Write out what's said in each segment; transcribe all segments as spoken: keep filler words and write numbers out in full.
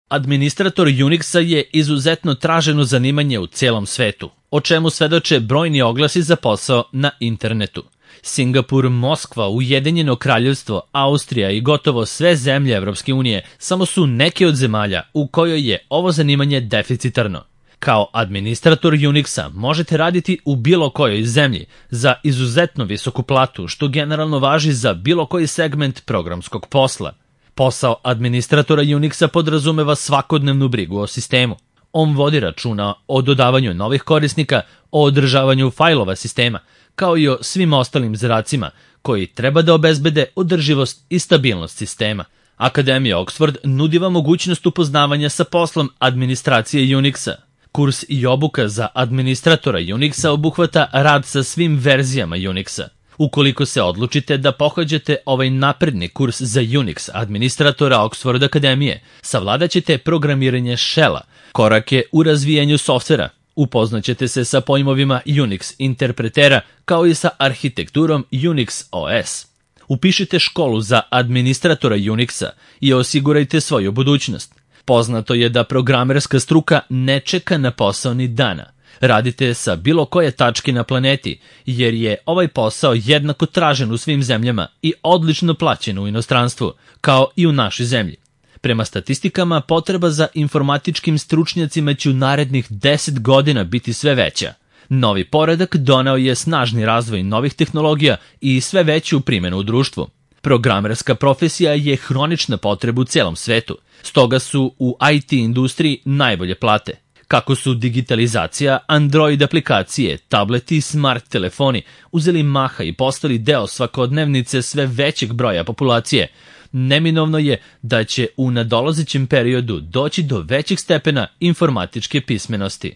Administrator Unixa je izuzetno traženo zanimanje u celom svetu, o čemu svedoče brojni oglasi za posao na internetu. Singapur, Moskva, Ujedinjeno kraljevstvo, Austrija i gotovo sve zemlje Evropske unije samo su neke od zemalja u kojoj je ovo zanimanje deficitarno. Kao administrator Unixa možete raditi u bilo kojoj zemlji za izuzetno visoku platu, što generalno važi za bilo koji segment programskog posla. Posao administratora Unixa podrazumeva svakodnevnu brigu o sistemu. On vodi računa o dodavanju novih korisnika, o održavanju fajlova sistema, kao i o svim ostalim zadacima koji treba da obezbede održivost i stabilnost sistema. Akademija Oxford nudi vam mogućnost upoznavanja sa poslom administracije Unixa. Kurs i obuka za administratora Unixa obuhvata rad sa svim verzijama Unixa. Ukoliko se odlučite da pohađate ovaj napredni kurs za Unix administratora Oxford Akademije, savladaćete programiranje Shella, korake u razvijanju softvera, upoznaćete se sa pojmovima Unix interpretera kao i sa arhitekturom Unix O S. Upišite školu za administratora Unixa i osigurajte svoju budućnost. Poznato je da programerska struka ne čeka na posao ni dana. Radite sa bilo koje tačke na planeti, jer je ovaj posao jednako tražen u svim zemljama i odlično plaćen u inostranstvu, kao i u našoj zemlji. Prema statistikama, potreba za informatičkim stručnjacima će u narednih deset godina biti sve veća. Novi poredak doneo je snažni razvoj novih tehnologija i sve veću primjenu u društvu. Programerska profesija je hronična potreba u celom svetu, stoga su u I T industriji najbolje plate. Kako su digitalizacija, Android aplikacije, tableti i smart telefoni uzeli maha i postali deo svakodnevnice sve većeg broja populacije, neminovno je da će u nadolazećem periodu doći do većeg stepena informatičke pismenosti.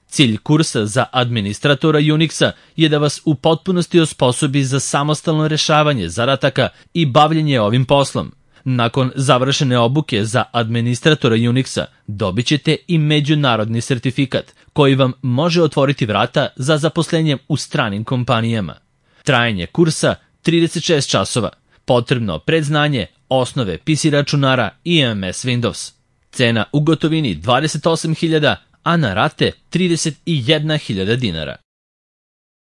Cilj kursa za administratora Unixa je da vas u potpunosti osposobi za samostalno rešavanje zadataka i bavljenje ovim poslom. Nakon završene obuke za administratora Unixa dobit ćete i međunarodni sertifikat koji vam može otvoriti vrata za zaposlenje u stranim kompanijama. Trajanje kursa trideset šest časova. Potrebno predznanje, osnove P C računara i M S Windows. Cena u gotovini dvadeset osam hiljada, a na rate trideset jedna hiljada dinara.